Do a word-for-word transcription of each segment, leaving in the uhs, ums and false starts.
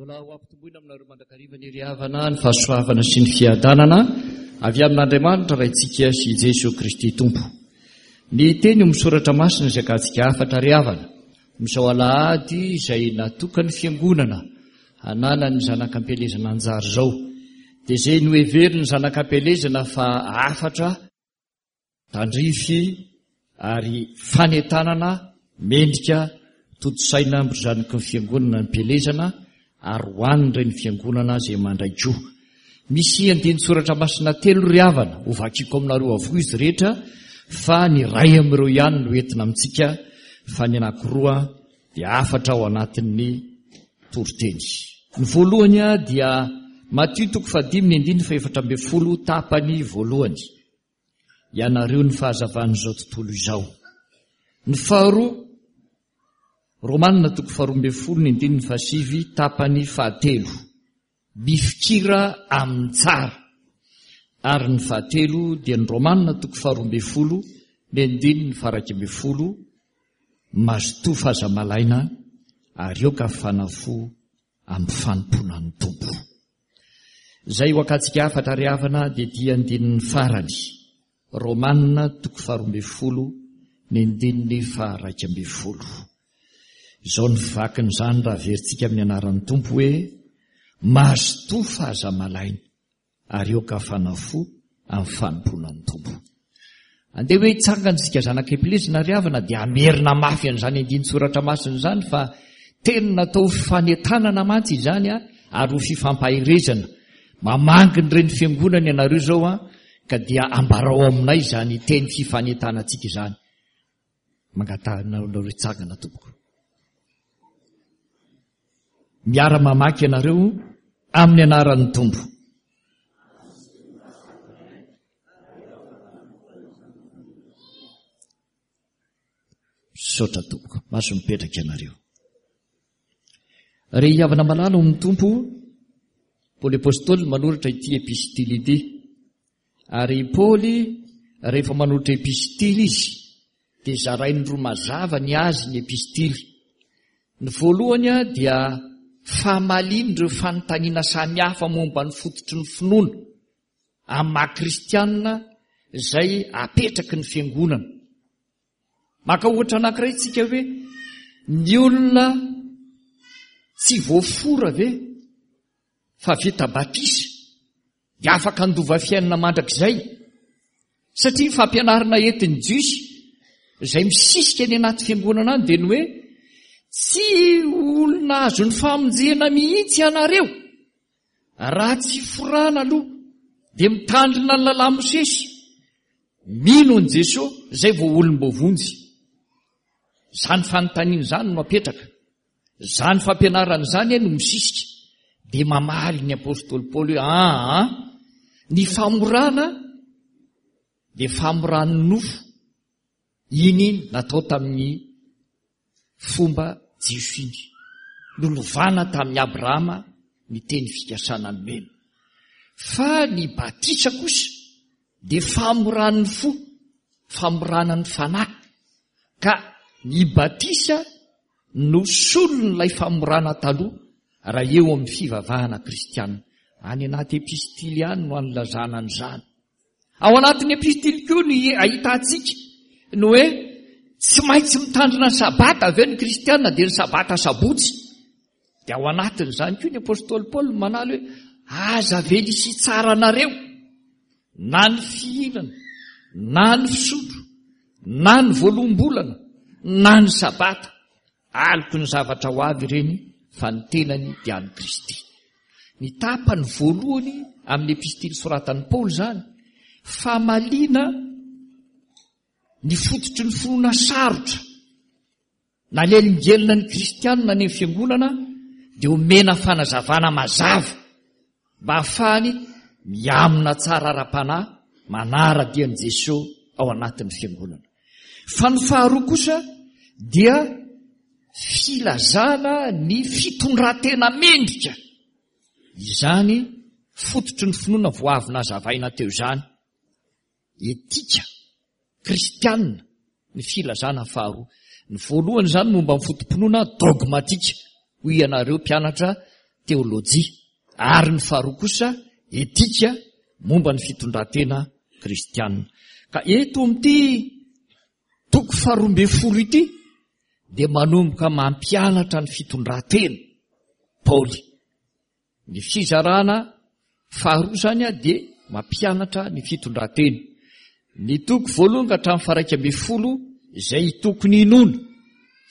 Mbola ho ampitomboina aminareo mandrakariva ny ry havana ny fahasoavana sy ny fiadanana avy amin'Andriamanitra Raintsika sy Jesoa Kristy Tompo. Ny teny misoratra masina izay akantsika hafatra ry havana, amin'izao alahady izay natokan'ny fiangonana hananan'ny zanak'ampielezana anjara izao, dia izay noheverin'ny zanak'ampielezana fa hafatra tandrify ary fanentanana mendrika tontosaina amin'izany fiangonana ampielezana ary ho an'ireny fiangonana izay mandray koa. Misy andinin-tsoratra masina telo ry havana, ho vakiko aminareo avokoa izy rehetra, fa ny iray amin'ireo ihany no entina amintsika, fa ny anankiroa dia hafatra ao anatin'ny toriteny. Ny voalohany dia Matio toko fahadimy ny andininy fahefatra ambin'ny folo tapany voalohany. Ianareo ny fahazavan'izao tontolo izao. Ny faharoa, Romanina toko faharoa ambin'ny folo ny andininy fahasivy tapany fahatelo. Mifikira amin'ny tsara. Ary ny fahatelo dia ny Romanina toko faharoa ambin'ny folo ny andininy faha-iraika ambin'ny folo. Mazotoa fa aza malaina ary aoka fanafo amin'ny fanompoana ny Tompo. Izay ho akantsika hafatra ry havana dia ity andininy farany. Romanina toko faharoa ambin'ny folo ny andininy faha-iraika ambin'ny folo. Izao ny vakin'izany raha averintsika amin'ny anaran'ny Tompo hoe mazotoa fa aza malaina ary aoka fanafo amin'ny fanompoana ny Tompo. Andeha hoe hitsangana isika zanak'ampielezana ry havana dia hamerina mafy an'izany andinin-tsoratra masina izany fa teny natao fanentanana mantsy izany a, ary ho fifampaherezana. Mamangy ny reny fiangonana ianareo izao a, ka dia ambarao aminay izany teny fifanentanantsika izany. Mangatahana anareo hitsangana tompoko. Miara-mamaky ianareo amin'ny anaran'ny Tompo. Misaotra tompoko, mahazo mipetraka ianareo. Ry havana malala ao amin'ny Tompo, Paoly Apostoly manoratra ity epistily ity. Ary Paoly rehefa manoratra epistily izy dia zarainy roa mazava ny azy ny epistily. Ny voalohany dia famaliana ireo fanontaniana samihafa momba ny fototry ny finoana amin'ny maha kristianina izay apetraky ny fiangonana. Maka ohatra anankiray isika hoe ny olona tsy voafora ve fa vita batisa dia afaka handova fiainana mandrakizay? Satria ny fampianarana entin'ny Jiosy izay misisika any anaty fiangonana any dia ny hoe tsy olona azon'ny famonjena mihitsy ianareo raha tsy forana aloha dia mitandrina ny lalàn'i Mosesy, mino an'i Jesoa izay vao olom-boavonjy. Izany fanontaniana izany no apetraka, izany fampianarana izany no misisika. Dia mamaly ny apostoly Paoly hoe aa, ny famorana dia famoran'ny nofo, iny natao tamin'ny fomba jiosy iny, nolovana tamin'i Abrahama ny teny fikasana nomena. Fa ny batisa kosa dia famoran'ny fo, famorana ny fanahy, ka ny batisa no solon'ilay famorana taloha raha eo amin'ny fivavahana kristiana. Any anaty epistily ihany no anilazana an'izany. Ao anatin'ny epistily koa no ahitantsika ny hoe tsy maintsy mitandrina ny sabata avy eo ny kristiana, dia ny sabata sabotsy. Dia ao anatin'izany koa ny apostoly Paoly manaly hoe aza avela hisy tsara anareo na ny fihinana, na ny fisotro, na ny voaloham-bolana, na ny sabata. Aloky ny zavatra ho avy ireny fa ny tenany dia an'i Kristy. Ny tapany voalohany amin'ny epistily soratan'i Paoly izany, famaliana ny fototry ny finoana sarotra nalelingelina ny kristianina any amin'ny fiangonana, dia omena fanazavana mazava mba hahafahany miamina tsara ara-panahy manara-dia an'i Jesoa ao anatin'ny fiangonana. Fa ny faharoa kosa dia filazana ny fitondran-tena mendrika. Izany fototry ny finoana vao avy nazavaina teo izany. Etika kristianina ny filazana faharoa. Ny voalohany izany momba ny foto-pinoana dogmatika, hoy ianareo mpianatra teolojia, ary ny faharoa kosa etika momba ny fitondran-tena kristianina. Ka eto amin'ity toko faharoa ambin'ny folo ity dia manomboka mampianatra ny fitondran-tena Paoly. Ny fizarana faharoa izany dia mampianatra ny fitondran-tena. Ny toko voalohany ka hatramin'ny faha-iraika ambin'ny folo izay tokony hinoana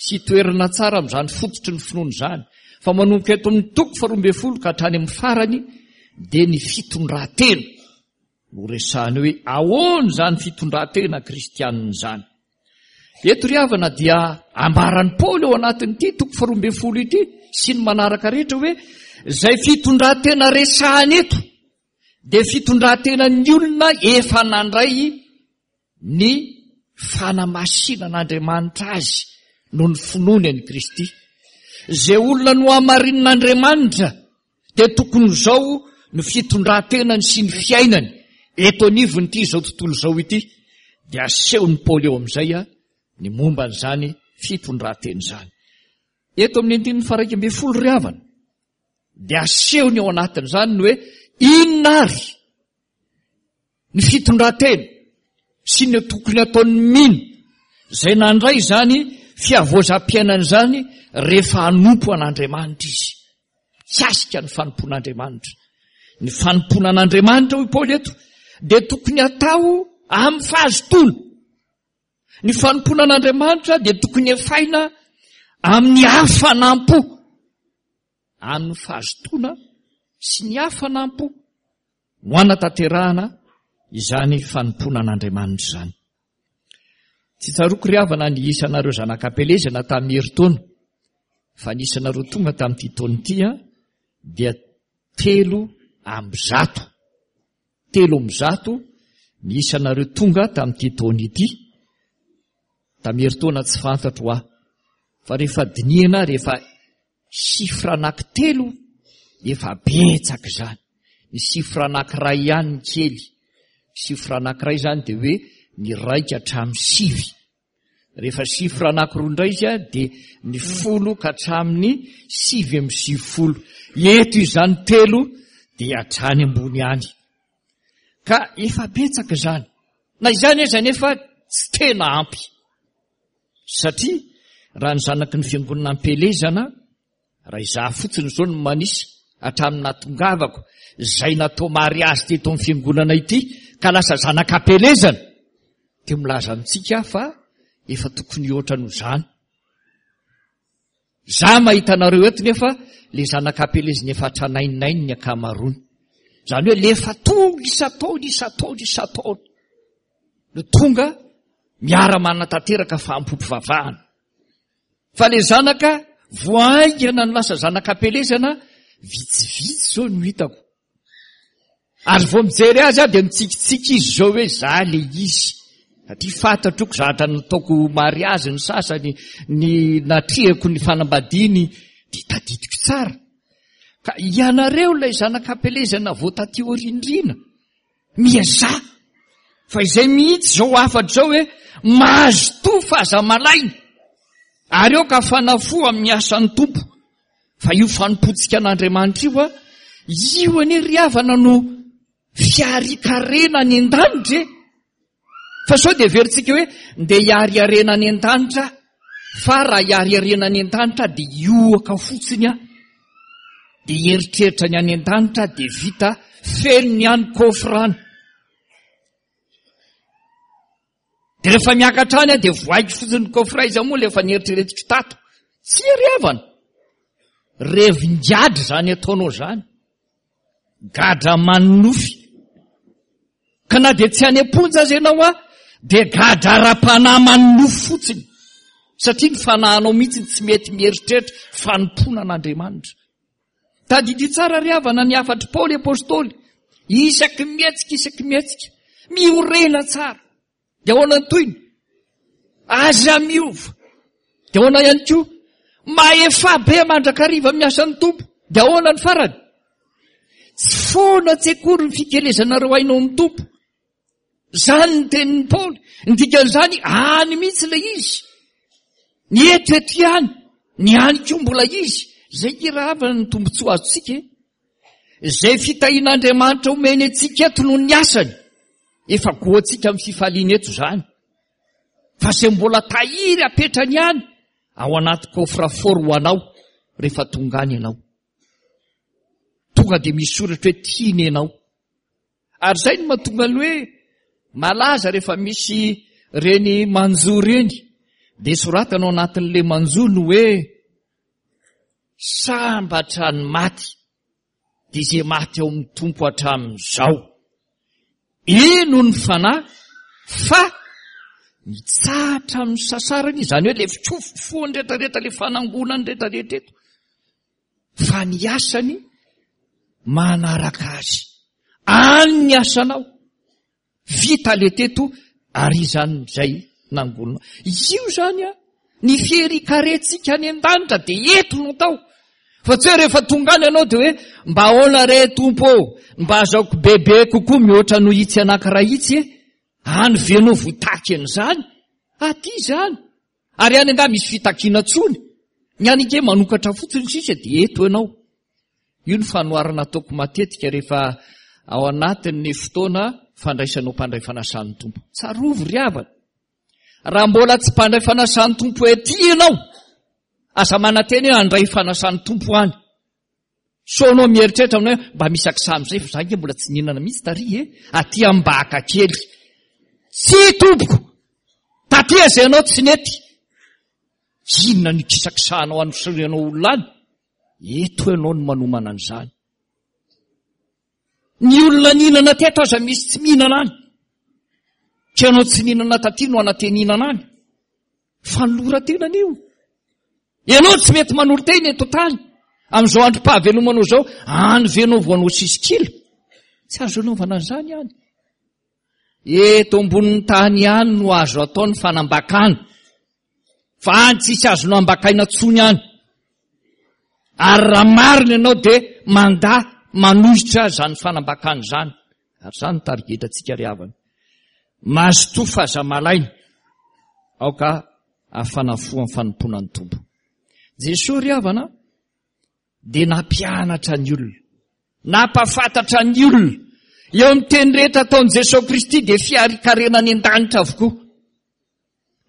sy toerana tsara amin'izany fototry ny finoana izany. Fa manomboka eto amin'ny toko faharoa ambin'ny folo ka hatrany amin'ny farany dia ny fitondran-tena no resahany hoe ahoana izany fitondran-tena kristianina izany. Eto ry havana dia ambaran'i Paoly ao anatin'ity toko faharoa ambin'ny folo ity sy ny manaraka rehetra hoe izay fitondran-tena resahany eto dia fitondran-tenan'ny olona efa nandray ny fanamasinan'Andriamanitra azy noho ny finoany an'i Kristy. Izay olona nohamarinin'Andriamanitra dia tokony izao no fitondran-tenany sy ny fiainany eto anivon'ity izao tontolo izao ity. Dia asehon'i Paoly eo amin'izay ny momba an'izany fitondran-tena izany. Eto amin'ny andininy faha-iraika ambin'ny folo ry havana dia asehony ao anatin'izany ny hoe inona ary ny fitondran-tena sy ny tokony ataon'ny mino izay nandray izany fihavoazam-piainana izany rehefa hanompo an'Andriamanitra izy. Mikasika ny fanompoan'Andriamanitra. Ny fanompoana an'Andriamanitra hoy Paoly eto dia tokony atao amin'ny fahazotoana. Ny fanompoana an'Andriamanitra dia tokony efaina amin'ny hafanam-po. Amin'ny fahazotoana sy ny hafanam-po no hanatanterahana izany fanompoana an'Andriamanitra izany. Tsy tsaroako ry havana ny isanareo zanak'Ampelezana tamin'ny herintaona, fa ny isanareo tonga tamin'ity taona ity dia telo amby zato. Telo amby zato ny isanareo tonga tamin'ity taona ity. Tamin'ny herintaona tsy fantatro aho, fa rehefa dinihana, rehefa chiffre anankitelo efa betsaka izany. Ny chiffre anankiray ihany ny kely. Chiffre anankiray izany dia hoe ny raika hatramin'ny sivy. Rehefa chiffre anankiroa indray izy dia ny folo ka hatramin'ny sivy amby sivifolo. Eto izany telo dia hatrany ambony ihany. Ka efa betsaka izany. Na izany aza nefa tsy tena ampy. Satria raha ny zanaky ny fiangonana am-pielezana, raha izaho fotsiny izao no manisa hatramin'ny nahatongavako izay natao mariazy teto amin'ny fiangonana ity ka lasa zanak'ampielezana, dia milaza amintsika fa efa tokony hihoatra noho izany. Za mahita anareo eto nefa le zanak'ampielezana efa hatranaininainy ny ankamaroany. Izany hoe le efa tonga isan-taona, isan-taona, isan-taona no tonga miara-manatanteraka fahampoam-pivavahana. Fa le zanaka voahaingana no lasa zanak'ampielezana vitsivitsy izao no hitako. Ary vao mijery azy aho dia mitsikitsiky izy izao hoe za le izy. Satria fantatroko zavatra nataoko mariazy ny sasany, ny natrehako ny fanambadiany, dia tadidiko tsara. Ka ianareo ilay zanak'ampielezana vao taty aoriandriana, miazaha. Fa izay mihitsy izao hafatra izao hoe mazotoa fa aza malaina. Ary eo ka fanafo amin'ny asan'ny Tompo. Fa io fanompoantsika an'Andriamanitra io, io anie ry havana no fiarikarena any an-danitra e. Fa sao dia heverintsika hoe ndeha hiariarena any an-danitra, fa raha hiariarena any an-danitra dia hiohaka fotsiny aho, dia hieritreritra ny any an-danitra dia vita feno ny any coffre any. Dia rehefa miakatra any aho dia voaiko fotsiny ny coffre, iza moa ilay efa nieritreretiko tato. Tsy ry havana. Revin-gadra izany ataonao izany. Gadra manonofy. Ka na dia tsy any am-ponja aza ianao a, dia gadra ara-panahy manonofy fotsiny. Satria ny fanahinao mihitsy tsy mety mieritreritra fanompoana an'Andriamanitra. Tadidio tsara ry havana ny hafatr'i Paoly Apostoly. Isaky ny mihetsika, isaky ny mihetsika. Miorena tsara. Dia ahoana ny tohiny? Aza miova. Dia ahoana ihany koa? Mahefa be mandrakariva amin'ny asan'ny Tompo. Dia ahoana ny farany? Tsy foana tsy akory ny fikelezanareo aina ao amin'ny Tompo. Izany ny tenin'i Paoly. Ny dikan'izany, any mihitsy ilay izy. Ny eto eto ihany, ny any koa mbola izy, Izay irahavana ny tombontsoa azontsika e. Izay fitahian'Andriamanitra omeny antsika eto noho ny asany. Efa goantsika amin'ny fifaliana eto izany. Fa izay mbola tahiry apetrany ihany ao anaty coffre-fort ho anao rehefa tonga any ianao. Tonga dia misy soratra hoe tiany ianao. Ary izay no mahatonga ny hoe malaza rehefa misy reny manjo reny. Dia soratana ao anatin'ilay manjo ny hoe sambatra ny maty, dia izay maty ao amin'ny Tompo hatramin'izao. Eno ny fanahy fa mitsahatra amin'ny sasarany, izany hoe ilay fikofofoany rehetrarehetra, ilay fanangonany rehetrarehetra eto. Fa ny asany manaraka azy. Any ny asanao. Vita le teto ary izany izay nangonina. Io izany a, ny fierikarentsika any an-danitra dia eto no atao. Fa tsy hoe rehefa tonga any ianao dia hoe mba ahoana re Tompo ô, mba azaoko bebe kokoa mihoatra noho itsy anankiray itsy e. Any ve anao votaky an'izany? Aty izany. Ary any angaha misy fitakiana tsony. Ny any ange manokatra fotsiny sisa dia eto ianao. Io ny fanoharana ataoko matetika rehefa ao anatin'ny fotoana fandraisanao mpandray fanasan'ny Tompo. Tsarovy ry havana. Raha mbola tsy mpandray fanasan'ny Tompo ety ianao, aza manantena hoe handray fanasan'ny Tompo any. Sao anao mieritreritra aminao hoe mba misy akisa amin'izay fa za ange mbola tsy nihinana mihitsy tary e, aty ambaka kely. Tsy tompoko, taty aza ianao tsy nety. Inona ny kisakisahanao anosorianao olona any? Eto ianao no manomana an'izany. Ny olona nihinana teto aza misy tsy mihinana any. Ka ianao tsy nihinana taty no anateninana any. Fanoloran-tena an'io. Ianao tsy mety manolo-tena eto tany. Amin'izao androm-pahavelomanao izao, any ve ianao vao hanao sisikila? Tsy azo anaovana an'izany any. Eto ambonin'ny tany ihany no azo atao ny fanambakana. Fa any tsisy azonao ambakaina tsony any. Ary raha marina ianao dia mandà manohitra izany fanambakana izany. Ary izany no tarigetantsika ry havana. Mazotoa fa aza malaina. Aoka hafana fo amin'ny fanompoana ny Tompo. Jesoa ry havana dia nampianatra ny olona, nampahafantatra ny olona. Eo amin'ny teny rehetra ataon'i Jesoa Kristy dia fiarikarena any an-danitra avokoa.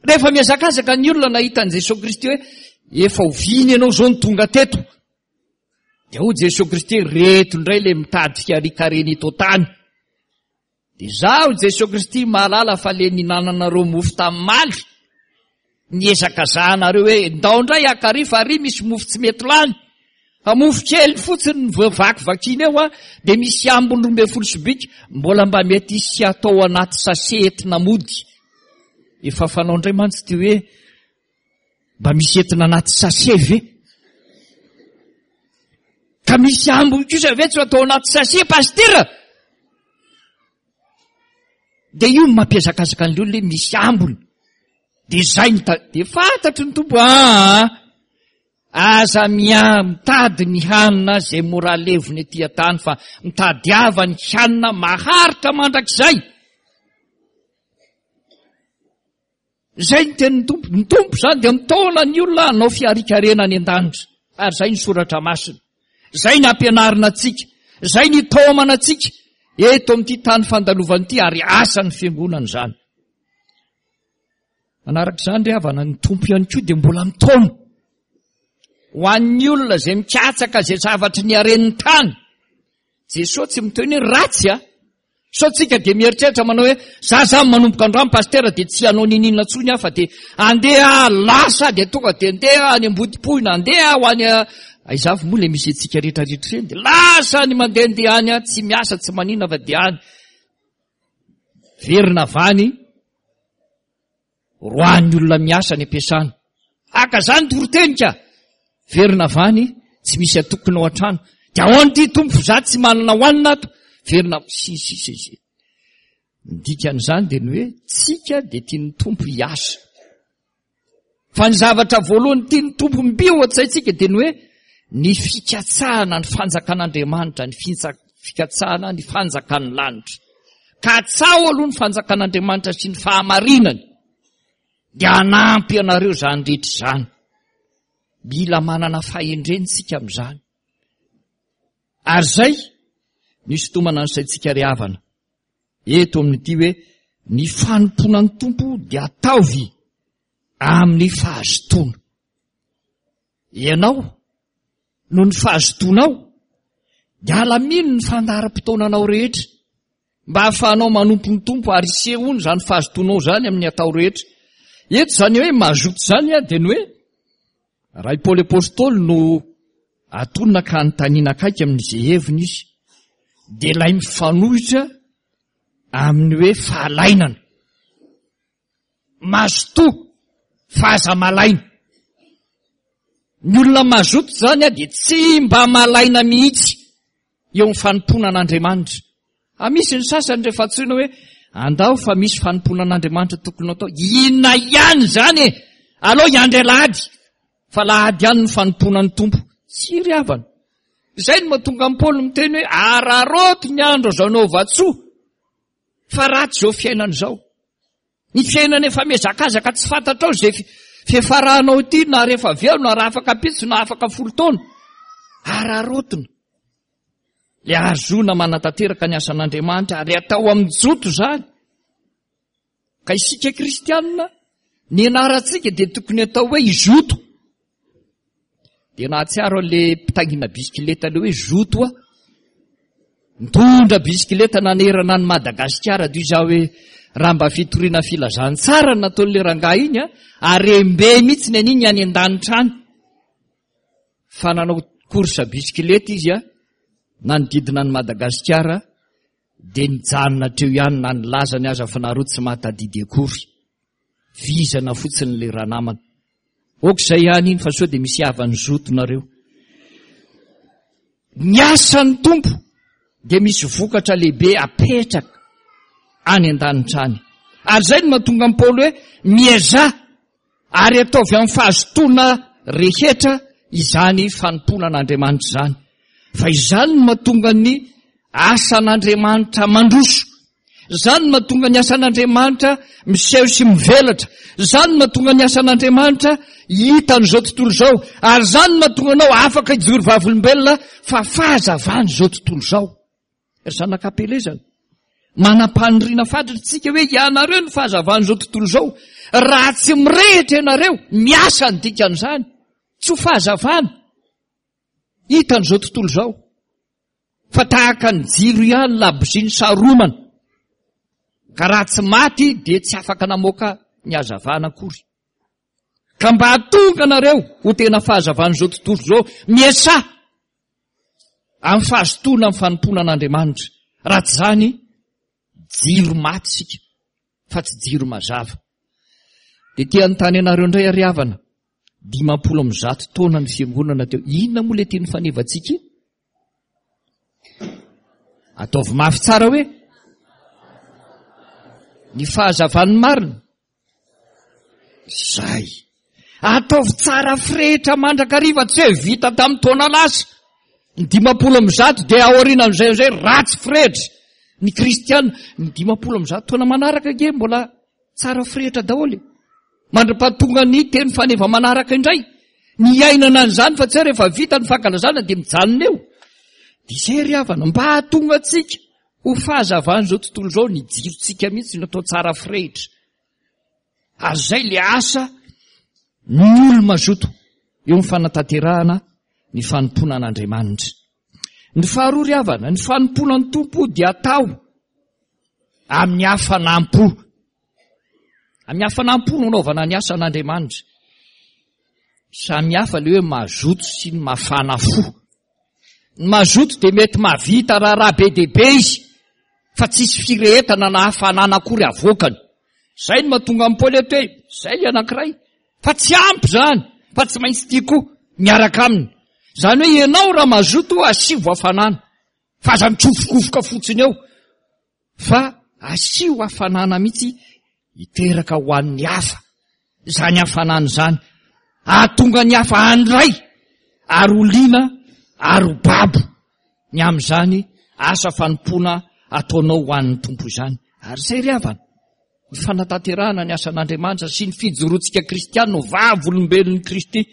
Rehefa mihazakazaka ny olona nahita an'i Jesoa Kristy hoe efa oviana ianao izao no tonga teto, dia hoy Jesoa Kristy, reto indray ilay mitady fiarikarena eto an-tany. Dia izaho Jesoa Kristy mahalala fa le nihinananareo mofo tamin'ny maly, niezakazahanareo hoe ndao indray akary fa ary misy mofo tsy mety lany. Fa mofo kely fotsiny ny vakivakiana eo a, dia misy ambiny roa ambin'ny folo sobika, mbola mba mety hisy atao anaty sachet entina mody. Efa fanao indray mantsy ity hoe mba misy entina anaty sachet ve? Ka misy ambiny kosa ve tsy atao anaty sachet, pastera? Dia io no mampiazakazaka an'ilay olona hoe misy ambiny. Dia izay ny ta-, dia fantatry ny Tompo, aa, aza mia-, mitady ny hanina izay mora levona ety an-tany, fa mitadiava ny hanina maharitra mandrakizay. Izay ny tenin'ny Tompo. Ny Tompo izany dia mitaona ny olona hanao fiarikarena any an-danitra. Ary izay ny soratra masina. Izay ny ampianarina antsika. Izay ny itaomana antsika eto amin'ity tany fandalovana ity, ary asan'ny fiangonana izany. Manaraka izany ry havana, ny Tompo ihany koa dia mbola mitaona ho an'ny olona izay mikatsaka izay zavatry ny haren'ny tany. Jesoa tsy miteny hoe ratsy a. Sao tsika dia mieritreritra manao hoe za zany manomboka androany pastera dia tsy hanao niniana intsony aho fa dia andeha lasa dia tonga dia andeha any Ambodipohina, andeha ho any aiza avy moa ilay misy antsika rehetrarehetra ireny, dia lasa any mandehandeha any aho, tsy miasa tsy manina fa dia any verina avy any roahan'ny olona miasa any am-piasana. Haka zany toritenika, verina avy any tsy misy atokona ao an-trano. Dia ahoana ity Tompo fa za tsy manana hohanina ato? Verina si si si si. Ny dikan'izany dia ny hoe tsika dia tian'ny Tompo hiasa. Fa ny zavatra voalohany tian'ny Tompo mby ao an-tsaintsika dia ny hoe ny fikatsahana ny fanjakan'Andriamanitra, ny fintsa-, fikatsahana ny fanjakan'ny lanitra. Katsaho aloha ny fanjakan'Andriamanitra sy ny fahamarinany, dia hanampy anareo izany rehetra izany. Mila manana fahendrena isika amin'izany. Ary izay no isintomana ny saintsika ry havana eto amin'ity hoe ny fanompoana ny Tompo dia ataovy amin'ny fahazotoana. Ianao, noho ny fahazotoanao, dia alamino ny fandaharam-potoananao rehetra mba hahafahanao manompo ny Tompo ary hisehoany izany fahazotoanao izany amin'ny atao rehetra. Eto izany hoe mazoto izany dia ny hoe raha i Paoly Apostoly no atonina ka anontaniana akaiky amin'izay heviny izy, dia ilay mifanohitra amin'ny hoe fahalainana. Mazotoa fa aza malaina. Ny olona mazoto izany dia tsy mba malaina mihitsy eo amin'ny fanompoana an'Andriamanitra. Ah, misy ny sasany rehefa antsoina hoe andao fa misy fanompoana an'Andriamanitra tokony atao. Inona ihany izany e? Aleo hiandry alahady fa alahady ihany ny fanompoana ny Tompo. Tsy ry havana. Izay no mahatonga an'i Paoly miteny hoe araraoty ny andro azo anaovan-tsoa fa ratsy izao fiainana izao. Ny fiainana efa mihazakazaka tsy fantatrao izay fiafaranao ity na rehefa avy eo na raha afaka ampitso na afaka folo taona. Araraotina. Ilay ahazoana manatanteraka ny asan'Andriamanitra ary atao amin'ny joto izany. Ka isika kristianina, ny anarantsika dia tokony atao hoe izoto. Dia nahatsiaro an'ilay mpitaingina bisikileta ilay hoe zoto aho. Nitondra bisikileta nanerana an'i Madagasikara dia izaho hoe raha mba fitoriana filazantsara no nataon'ilay rangahy iny, harem-be mihitsy ny an'iny any an-danitra any. Fa nanao course bisikileta izy nanodidina an'i Madagasikara dia nijanona hatreo ihany na nilazany aza fa nareo tsy mahatadidy akory. Vizana fotsiny ilay ranamana. Ok izay ihany iny fa sao dia misy havany zoto nareo. Ny asan'ny Tompo dia misy vokatra lehibe apetraka any an-danitra any. Ary izay no mahatonga an'i Paoly hoe miezaha ary ataovy amin'ny fahazotoana rehetra izany fanompoana an'Andriamanitra izany. Fa izany no mahatonga ny asan'Andriamanitra mandroso. Izany no mahatonga ny asan'Andriamanitra miseho sy mivelatra. Izany no mahatonga ny asan'Andriamanitra hitan'izao tontolo izao. Ary izany no mahatonga anao afaka hijoro vavolombelona fa fahazavan'izao tontolo izao. Ry zanak'Ampielezana, manam-paniriana fatratra isika hoe ianareo no fahazavan'izao tontolo izao. Raha tsy mirehitra ianareo, miasa ny dikan'izany. Tsy ho fahazavana hitan'izao tontolo izao. Fa tahaka ny jiro ihany labozia ny saromana. Ka raha tsy maty dia tsy afaka namoaka ny hazavana akory. Ka mba hahatonga anareo ho tena fahazavan'izao tontolo izao, miasà amin'ny fahazotoana amin'ny fanompoana an'Andriamanitra. Raha tsy izany, jiro maty isika fa tsy jiro mazava. Dia te hanontany anareo indray ary havana, dimampolo amby zato taona ny fiangonana teo. Inona moa ilay teny fanevantsika iny? Ataovy mafy tsara hoe ny fahazavan'ny marina. Zay. Ataovy tsara firehitra mandrakariva, tsy hoe vita tamin'ny taona lasa. Ny dimampolo amby zato dia aorianan'izay amin'izay ratsy firehitra. Ny kristiana, ny dimampolo amby zato taona manaraka ange mbola tsara firehitra daholo. Mandra-pahatonga ny teny faneva manaraka indray. Ny iainana an'izany fa tsy hoe rehefa vita ny fankalazana dia mijanona eo. Dia izay ry havana, mba hahatonga antsika ho fahazavan'izao tontolo izao ny jirontsika mihitsy no atao tsara firehitra. Ary izay ilay asa ny olo-mazoto eo amin'ny fanatanterahana ny fanompoana an'Andriamanitra. Ny faharoa ry havana, ny fanompoana ny Tompo dia atao amin'ny hafanam-po. Amin'ny hafanam-po no anaovana ny asan'Andriamanitra. Samy hafa ilay hoe mazoto sy ny mafana fo. Ny mazoto dia mety mahavita raharaha be dia be izy, fa tsisy firehetana na hafanana akory avoakany. Izay no mahatonga an'i Paoly eto hoe, izay ilay anankiray, fa tsy ampy izany, fa tsy maintsy tia koa miaraka aminy. Izany hoe ianao raha mazoto asivo hafanana, fa aza mitsofokofoka fotsiny eo, fa asio hafanana mihitsy hiteraka ho an'ny hafa. Izany hafanana izany hahatonga ny hafa handray ary ho liana ary ho babo ny amin'izany asa fanompoana ataonao ho an'ny Tompo izany. Ary izay ry havana, ny fanatanterahana ny asan'Andriamanitra sy ny fijoroantsika kristiana ho vavolombelon'i Kristy.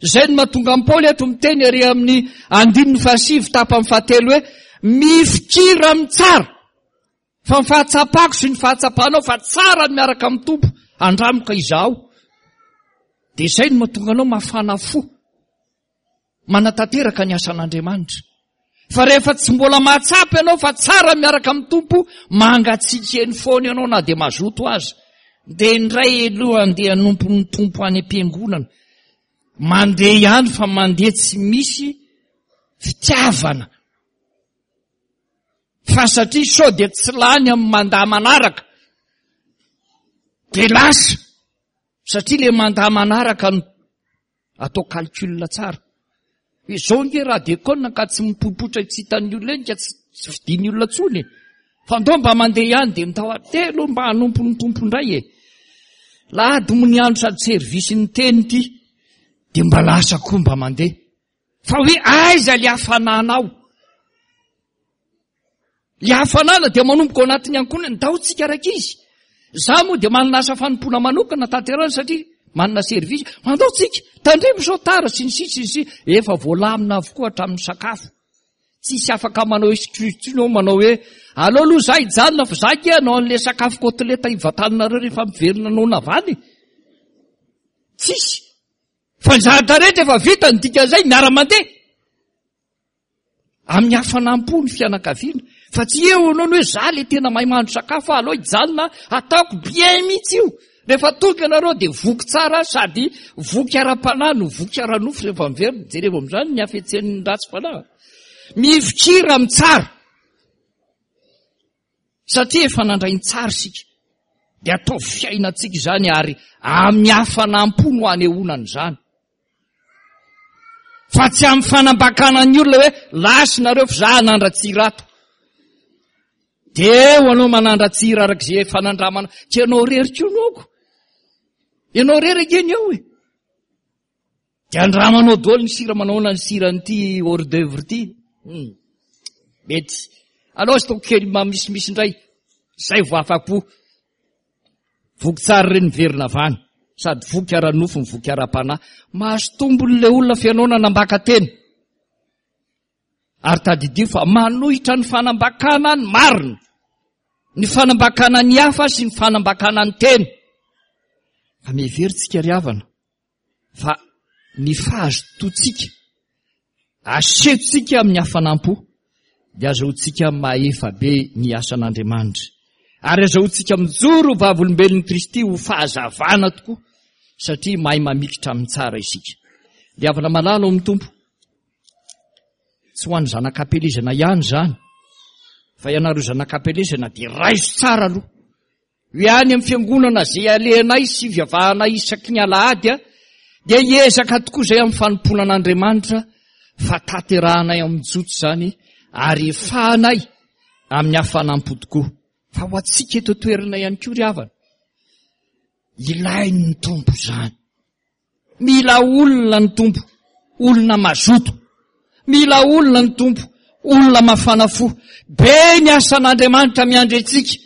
Izay no mahatonga an'i Paoly eto miteny ary amin'ny andininy fahasivy tapany fahatelo hoe mifikira amin'ny tsara. Fa ny fahatsapako sy ny fahatsapanao fa tsara ny miaraka amin'ny Tompo, andramoka izaho. Dia izay no mahatonga anao mafana fo manatanteraka ny asan'Andriamanitra. Fa rehefa tsy mbola mahatsapa ianao fa tsara miaraka amin'ny Tompo, mangatsiaka eny foana ianao na dia mazoto aza. Dia indray aloha andeha hanompo ny Tompo any am-piangonana. Mandeha ihany fa mandeha tsy misy fitiavana. Fa satria sao dia tsy lany amin'ny mandat manaraka, dia lasa. Satria le mandat manaraka no atao calcul tsara. Izao nge raha dekona ka tsy mipoipoitra tsy hitan'ny olona eny ka tsy tsy fidin'ny olona tsony e. Fa ndao mba mandeha ihany dia mitao telo mba hanompo ny Tompo indray e. Lahady moa ny andro sady service ny teny ity dia mba lasa koa mba mandeha. Fa hoe aiza le hafananao? Le hafanana dia manomboka ao anatin'ny ankohonana, ndao tsika rankizy. Za moa dia manana asa fanompoana manokana tanterahana satria manana service. Mandao tsika, tandremo sao tara sy ny sisa sy ny sisa. Efa voalamina avokoa hatramin'ny sakafo. Tsisy afaka manao excuse intsony eo manao hoe aleo aloha za hijanona fa za ke hanao an'le sakafo côtelette hivantaninareo rehefa miverina noana avy any. Tsisy. Fa ny zavatra rehetra efa vita, ny dikan'izay miara-mandeha. Amin'ny hafanam-po ny fianakaviana. Fa tsy eo ianao ny hoe za le tena mahay mahandro sakafo, aleo hijanona ataoko bien mihitsy io. Rehefa tonga ianareo dia voky tsara sady voky ara-panahy no voky ara-nofo rehefa miverina. Jereo amin'izany ny hafetsen'ny ratsy fanahy. Mifikira amin'ny tsara. Satria efa nandray ny tsara isika. Dia atao fiainantsika izany ary amin'ny hafanam-po no anehoana an'izany. Fa tsy amin'ny fanambakana ny olona hoe lasa nareo fa za hanandra-tsira ato. Dia eo anao manandra-tsira araka izay fanandramana. Tsy ianao rery koa no aoko. Ianao rery ange ny eo e. Dia andramanao daholo ny sira, manao ahoana ny siran'ity hors d'œuvre ity. Hmm. Mety. Aleo aza ataoko kely misimisy indray. Izay vao afa-po. Voky tsara ireny miverina avy any. Sady voky ara-nofo ny voky ara-panahy. Mahazo tombony ilay olona fa ianao nanambaka tena. Ary tadidio fa manohitra ny fanambakana ny marina. Ny fanambakana ny hafa sy ny fanambakana ny tena. Fa miheveritsika ry havana fa ny fahazotoantsika asehontsika amin'ny hafanam-po dia azahoantsika mahefa be ny asan'Andriamanitra. Ary azahoantsika mijoro vavolombelon'i Kristy ho fahazavana tokoa satria mahay mamikitra amin'ny tsara isika. Ry havana malala ao amin'ny Tompo, tsy ho an'ny zanak'ampielezana ihany izany, fa ianareo zanak'ampielezana dia raiso tsara aloha. Hoe any amin'ny fiangonana izay alehanay sy ivavahanay isaky ny alahady dia hiezaka tokoa izay amin'ny fanompoana an'Andriamanitra fa tanterahanay amin'ny joto izany ary efahanay amin'ny hafanam-po tokoa. Fa ho antsika eto an-toerana ihany koa ry havana, ilain'ny Tompo izany. Mila olona ny Tompo, olona mazoto. Mila olona ny Tompo, olona mafana fo. Be ny asan'Andriamanitra miandry antsika,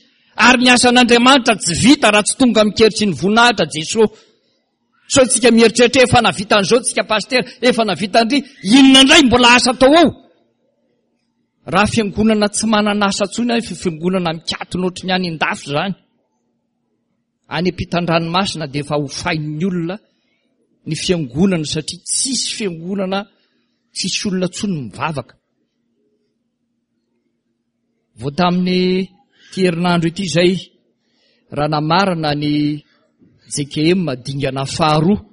ary ny asan'Andriamanitra tsy vita raha tsy tonga amin'ny hery sy ny voninahitra Jesosy. Sao tsika mieritreritra efa navita an'izao tsika pasitera, efa navita andry, inona indray mbola asa atao ao? Raha fiangonana tsy manana asa intsony aho, fiangonana mikatona ohatry ny any an-dafy izany. Any ampitan-dranomasina dia efa hofain'ny olona ny fiangonana satria tsisy fiangonana, tsisy olona intsony mivavaka. Vao tamin'ny ity herinandro ity izay, raha namarana ny J K M dingana faharoa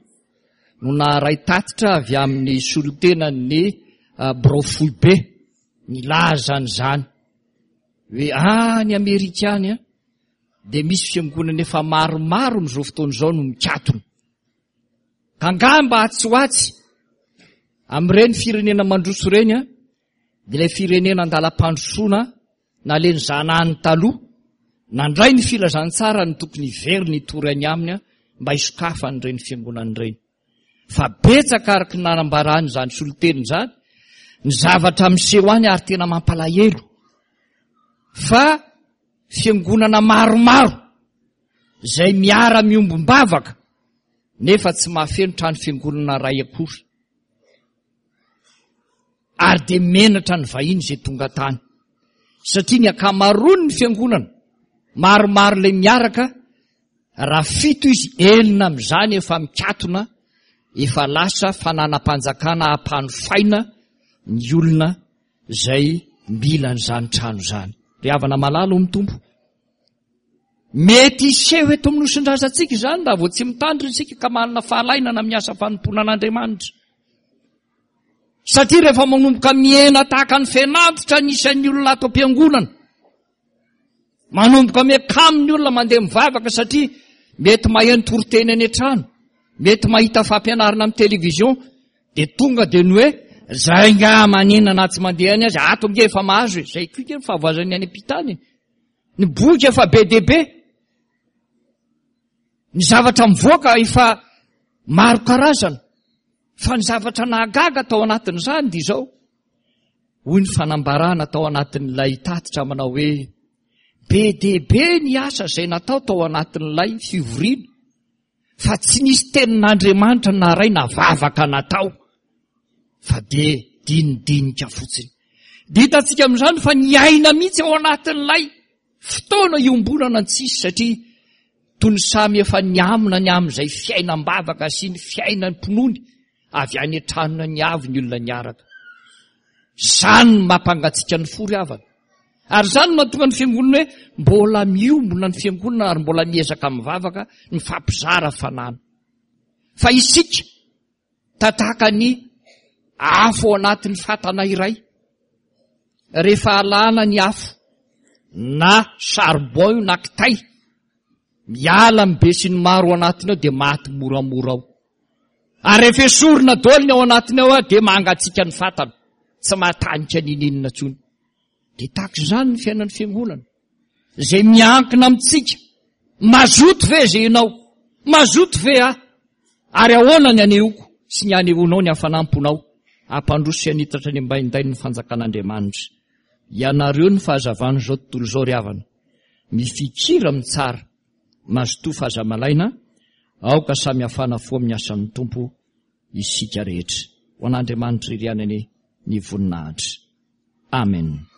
no naharay tatitra avy amin'ny solontenan'ny birao foibe nilaza an'izany hoe any Amerika any a, dia misy fiangonana efa maromaro amin'izao fotoana izao no mikatona. Ka angamba atsy ho atsy amin'ireny firenena mandroso ireny a, dia ilay firenena andalam-pandrosoana naleny zanahany taloha nandray ny filazantsara ny tokony hiverina hitory any aminy a, mba hisokafan'ireny fiangonana ireny. Fa betsaka araka ny nanambarany izany solontena izany ny zavatra miseho any ary tena mampalahelo fa fiangonana maromaro izay miara-miombom-bavaka nefa tsy mahafeno trano fiangonana iray akory. Ary dia menatra ny vahiny izay tonga tany. Satria ny ankamaroan'ny fiangonana, maromaro ilay miaraka, raha fito izy, enina amin'izany efa mikatona, efa lasa fananam-panjakana ampanofaina ny olona izay mila an'izany trano izany. Ry havana malala ao amin'ny Tompo, mety hiseho eto amin'ny nosindrazantsika izany raha vao tsy mitandrina isika ka manana fahalainana amin'ny asa fanompoana an'Andriamanitra. Satria rehefa manomboka mihena tahaka ny fenantitra ny isan'ny olona ato am-piangonana, manomboka miakamo ny olona mandeha mivavaka satria mety maheno toriteny any an-trano, mety mahita fampianarana amin'ny télévision, dia tonga dia ny hoe zay nga maninona na tsy mandeha any azy, ato nge efa mahazo e, zay koa nge ny fahavoazan'ny any am-pitany e. Ny boky efa be dia be, ny zavatra mivoaka efa maro karazana, fa ny zavatra nahagaga tao anatin'izany dia izao, hoy ny fanambarana tao anatin'ilay tatitra manao hoe be dia be ny asa izay natao tao anatin'ilay fivoriana, fa tsy nisy tenin'Andriamanitra naray na vavaka natao, fa dia dinidinika fotsiny. Dia hitantsika amin'izany fa niaina mihitsy ao anatin'ilay fotoana iombonana ny tsisy, satria toy ny samy efa niamona ny amin'izay fiainam-bavaka sy ny fiainam-pinoany avy any an-tranona ny avy ny olona niaraka. Izany no mampangatsiaka ny fo ry havana. Ary izany no mahatonga ny fiangonana hoe mbola miombona ny fiangonana ary mbola miezaka mivavaka mifampizara fanana. Fa isika tataka ny afo ao anatin'ny fatana iray, rehefa alana ny afo na charbon io na kitay, miala amin'ny be sy ny maro ao anatiny ao dia maty moramora ao. Ary rehefa esorina daholo ny ao anatiny ao dia mangatsiaka ny fatana, tsy mahatanika n'ininona intsony. Dia tahaka izany ny fiainan'ny fiangonana, izay miankina amintsika. Mazoto ve izay ianao? Mazoto ve aho? Ary ahoana ny anehoako sy ny anehoanao ny hafanam-ponao hampandroso sy hanitatra ny ambaindain'ny fanjakan'Andriamanitra? Ianareo ny fahazavan'izao tontolo izao ry havana. Mifikira amin'ny tsara, mazotoa fa aza malaina, aoka samy hafana fo amin'ny asan'ny Tompo isika rehetra. Ho an'Andriamanitra irery ihany anie ny voninahitra. Amen.